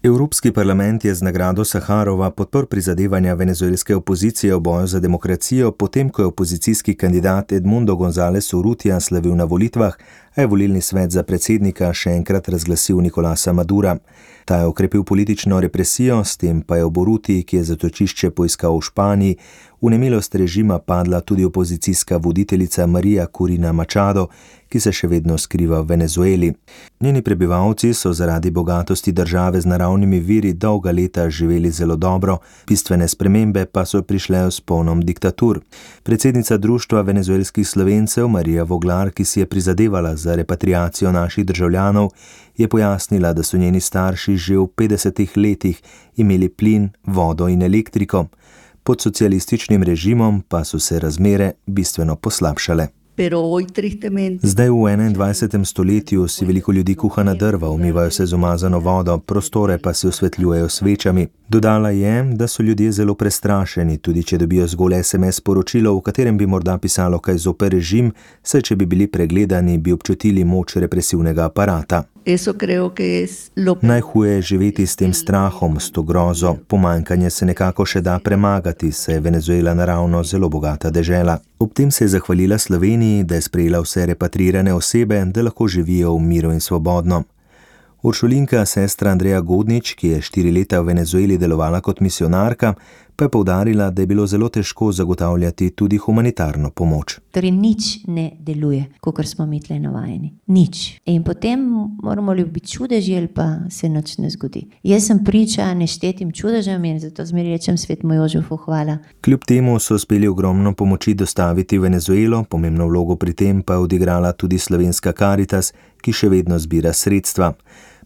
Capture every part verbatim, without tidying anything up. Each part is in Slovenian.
Evropski parlament je z nagrado Saharova podprl prizadevanja venezuelske opozicije v boju za demokracijo, potem ko je opozicijski kandidat Edmundo González Urrutia slavil na volitvah, a je volilni svet za predsednika še enkrat razglasil Nicolasa Madura. Ta je okrepil politično represijo, s tem pa je ob Urrutiji, ki je zatočišče poiskal v Španiji, v nemilost režima padla tudi opozicijska voditeljica María Corina Machado, ki se še vedno skriva v Venezueli. Njeni prebivalci so zaradi bogatosti države z naravnimi viri dolga leta živeli zelo dobro, bistvene spremembe pa so prišle s polnom diktatur. Predsednica Društva venezuelskih Slovencev Marija Voglar, ki si je prizadevala za repatriacijo naših državljanov, je pojasnila, da so njeni starši že v petdesetih letih imeli plin, vodo in elektriko. Pod socialističnim režimom pa so se razmere bistveno poslabšale. Zdaj v enaindvajsetem stoletju si veliko ljudi kuha na drva, umivajo se z umazano vodo, prostore pa si osvetljujejo svečami. Dodala je, da so ljudje zelo prestrašeni, tudi če dobijo zgolj es em es sporočilo, v katerem bi morda pisalo kaj zoper režim, saj če bi bili pregledani, bi občutili moč represivnega aparata. Najhuje je živeti s tem strahom, s to grozo. Pomanjkanje se nekako še da premagati, saj je Venezuela naravno zelo bogata dežela. Ob tem se je zahvalila Sloveniji, da je sprejela vse repatrirane osebe, da lahko živijo v miru in svobodno. Uršulinka, sestra Andreja Godnič, ki je štiri leta v Venezueli delovala kot misionarka, pa je poudarila, da je bilo zelo težko zagotavljati tudi humanitarno pomoč. Torej nič ne deluje, kakor smo mi tle navajeni. Nič. In potem moramo ljubiti čudeži, ali pa se nič ne zgodi. Jaz sem priča neštetim čudežem in zato zmeri rečem Svetemu Jožefu hvala. Kljub temu so uspeli ogromno pomoči dostaviti v Venezuelo, pomembno vlogo pri tem pa je odigrala tudi slovenska Karitas, ki še vedno zbira sredstva.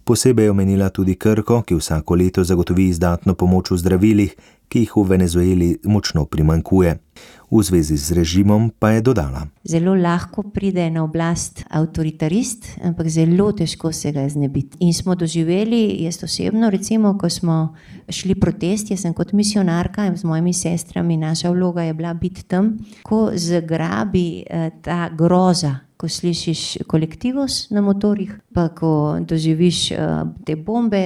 Posebej je omenila tudi Krko, ki vsako leto zagotovi izdatno pomoč v zdravilih, ki jih v Venezueli močno primanjkuje. V zvezi z režimom pa je dodala. Zelo lahko pride na oblast avtoritarist, ampak zelo težko se ga znebiti. In smo doživeli, jaz osebno, recimo, ko smo šli protest, jaz sem kot misionarka in z mojimi sestrami, naša vloga je bila biti tam, ko zagrabi ta groza, ko slišiš kolektivos na motorjih, pa ko doživiš te bombe,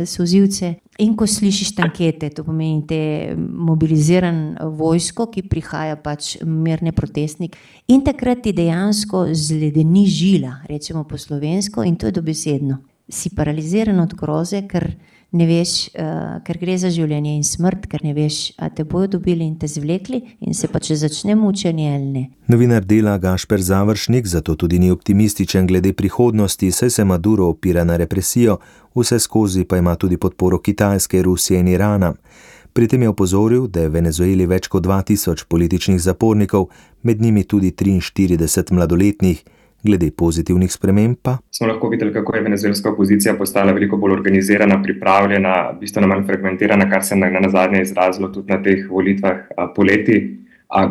solzivce in ko slišiš tankete, to pomeni te mobiliziran vojsko, ki prihaja pač mirne protestnik. In takrat ti dejansko zledeni žila, rečemo po slovensko, in to je dobesedno. Si paraliziran od groze, ker ne veš, uh, ker gre za življenje in smrt, ker ne veš, a te bojo dobili in te zvlekli in se pa če začne mučenje ali ne. Novinar Dela Gašper Završnik zato tudi ni optimističen glede prihodnosti, saj se Maduro opira na represijo, vse skozi pa ima tudi podporo Kitajske, Rusije in Irana. Pri tem je opozoril, da je v Venezueli več kot dva tisoč političnih zapornikov, med njimi tudi triinštirideset mladoletnih. Glede pozitivnih sprememb pa smo lahko videli, kako je venezuelska opozicija postala veliko bolj organizirana, pripravljena, bistveno manj fragmentirana, kar se je na zadnje izrazilo tudi na teh volitvah poleti,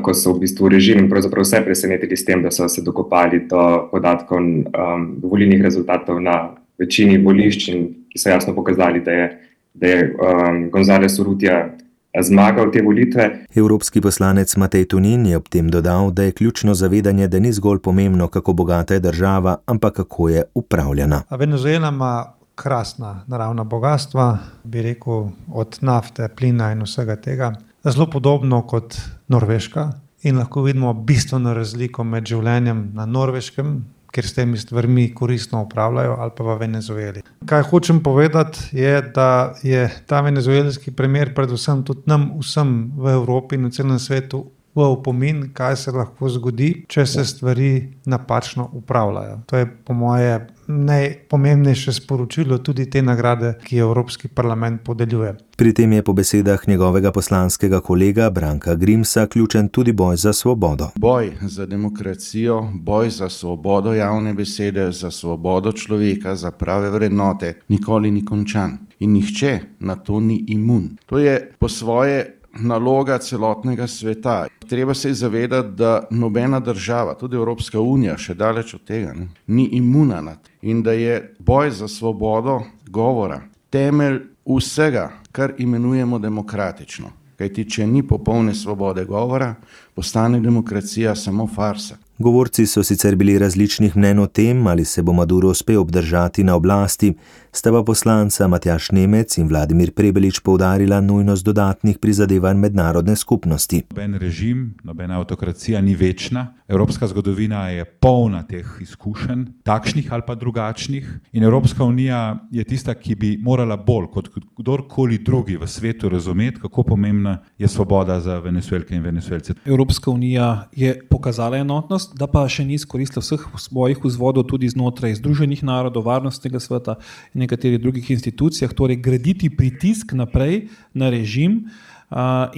ko so v bistvu režim in pravzaprav vse presenetili s tem, da so se dokopali do podatkov um, volilnih rezultatov na večini volišč, ki so jasno pokazali, da je, da je um, González Urrutia zmagal te volitve. Evropski poslanec Matej Tonin je ob tem dodal, da je ključno zavedanje, da ni zgolj pomembno, kako bogata je država, ampak kako je upravljana. Venezuela ima krasna naravna bogatstva, bi rekel, od nafte, plina in vsega tega. Zelo podobno kot Norveška in lahko vidimo bistveno razliko med življenjem na Norveškem, ker s temi stvarmi koristno upravljajo, ali pa v Venezueli. Kaj hočem povedati je, da je ta venezuelski primer predvsem tudi nam vsem v Evropi in v celem svetu v opomin, kaj se lahko zgodi, če se stvari napačno upravljajo. To je po moje najpomembnejše sporočilo tudi te nagrade, ki Evropski parlament podeljuje. Pri tem je po besedah njegovega poslanskega kolega Branka Grimsa ključen tudi boj za svobodo. Boj za demokracijo, boj za svobodo javne besede, za svobodo človeka, za prave vrednote nikoli ni končan. In nihče na to ni imun. To je po svoje naloga celotnega sveta. Treba se zavedati, da nobena država, tudi Evropska unija, še daleč od tega, ne, ni imuna na to. In da je boj za svobodo govora temelj vsega, kar imenujemo demokratično. Kajti, če ni popolne svobode govora, postane demokracija samo farsa. Govorci so sicer bili različnih mnenj o tem, ali se bo Maduro uspel obdržati na oblasti, sta pa poslanca Matjaž Nemec in Vladimir Prebelič poudarila nujnost dodatnih prizadevanj mednarodne skupnosti. Noben režim, nobena avtokracija ni večna. Evropska zgodovina je polna teh izkušenj, takšnih ali pa drugačnih. In Evropska unija je tista, ki bi morala bolj kot kdorkoli drugi v svetu razumeti, kako pomembna je svoboda za Venezuelke in Venezuelce. Evropska unija je pokazala enotnost, da pa še ni izkoristila vseh svojih vzvodov tudi znotraj Združenih narodov, Varnostnega sveta in nekaterih drugih institucijah, torej graditi pritisk naprej na režim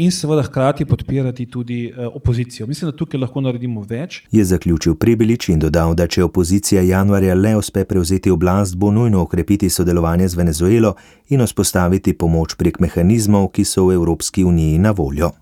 in seveda hkrati podpirati tudi opozicijo. Mislim, da tukaj lahko naredimo več. Je zaključil Prebelič in dodal, da če opozicija januarja le uspe prevzeti oblast, bo nujno okrepiti sodelovanje z Venezuelo in vzpostaviti pomoč prek mehanizmov, ki so v Evropski uniji na voljo.